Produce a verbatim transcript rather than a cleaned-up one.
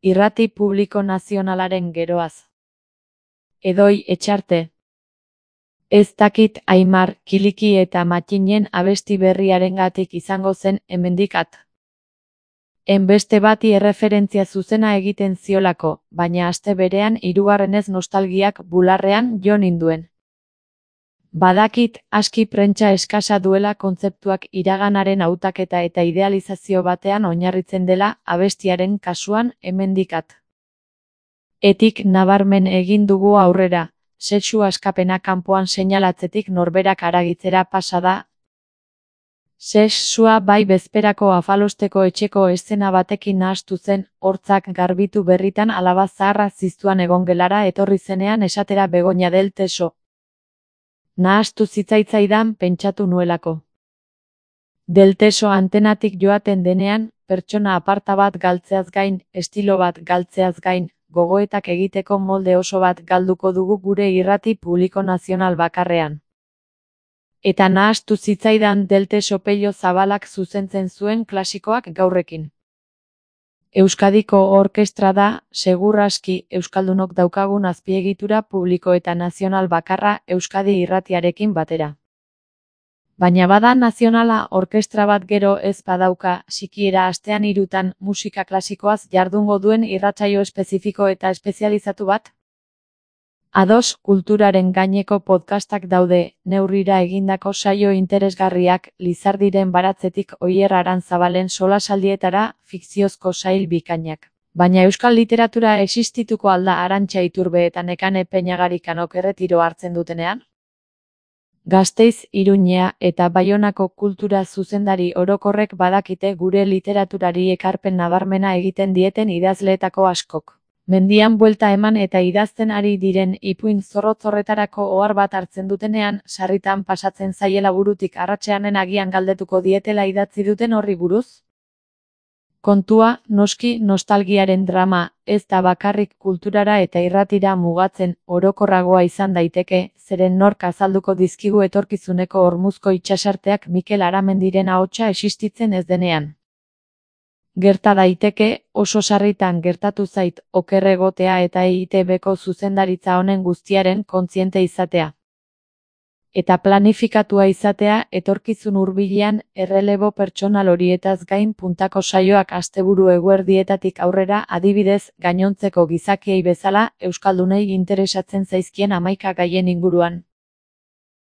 Irrati publiko nazionalaren geroaz. Edoi Etxarte. Ez dakit Aimar, Kiliki eta Matxinen abesti berriarengatik izango zen hemendikat. Enbeste bati erreferentzia zuzena egiten ziolako, baina aste berean hirugarrenez nostalgiak bularrean jo ninduen. Badakit, aski prentsa eskasa duela kontzeptuak iraganaren hautaketa eta idealizazio batean oinarritzen dela abestiaren kasuan hemendikat. Etik nabarmen egin dugu aurrera, sexu askapena kanpoan seinalatzetik norberak haragitzera pasa da. Sexua bai bezperako afalosteko etxeko eszena batekin nahastu zen, hortzak garbitu berritan alaba zaharra ziztuan egongelara etorri zenean esatera Begoña del Teso. Nahastu zitzaitzaidan pentsatu nuelako. Del Teso antenatik joaten denean, pertsona aparta bat galtzeaz gain, estilo bat galtzeaz gain, gogoetak egiteko molde oso bat galduko dugu gure irrati publiko nazional bakarrean. Eta nahastu zitzaidan Del Teso pello zabalak zuzentzen zuen klasikoak gaurrekin. Euskadiko orkestra da, segur aski, euskaldunok daukagun azpiegitura publiko eta nazional bakarra Euskadi irratiarekin batera. Baina bada nazionala orkestra bat gero ez badauka, sikiera astean hirutan musika klasikoaz jardungo duen irratsaio espezifiko eta espezializatu bat? Ados, kulturaren gaineko podcastak daude, neurrira egindako saio interesgarriak, Lizardiren baratzetik Oier Aranzabalen solasaldietara, fikziozko sail bikainak. Baina euskal literatura existituko alda Arantxa Iturbe eta Nekane Peñagarikanok erretiro hartzen dutenean? Gasteiz, Iruñea eta Baionako kultura zuzendari orokorrek badakite gure literaturari ekarpen nabarmena egiten dieten idazleetako askok. Mendian buelta eman eta idazten ari diren ipuin zorrotz horretarako ohar bat hartzen dutenean, sarritan pasatzen zaiela burutik arratseanen agian galdetuko dietela idatzi duten horri buruz? Kontua, noski, nostalgiaren drama, ez da bakarrik kulturara eta irratira mugatzen, orokorragoa izan daiteke, zeren nork azalduko dizkigu etorkizuneko hormuzko itsasarteak Mikel Aramendiren ahotsa existitzen ez denean. Gerta daiteke, oso sarritan gertatu zait, oker egotea eta E I T Bko zuzendaritza honen guztiaren kontziente izatea. Eta planifikatua izatea, etorkizun hurbilean, errelebo pertsonal horietaz gain puntako saioak asteburu eguerdietatik aurrera adibidez, gainontzeko gizakiei bezala, euskaldunei interesatzen zaizkien hamaika gaien inguruan.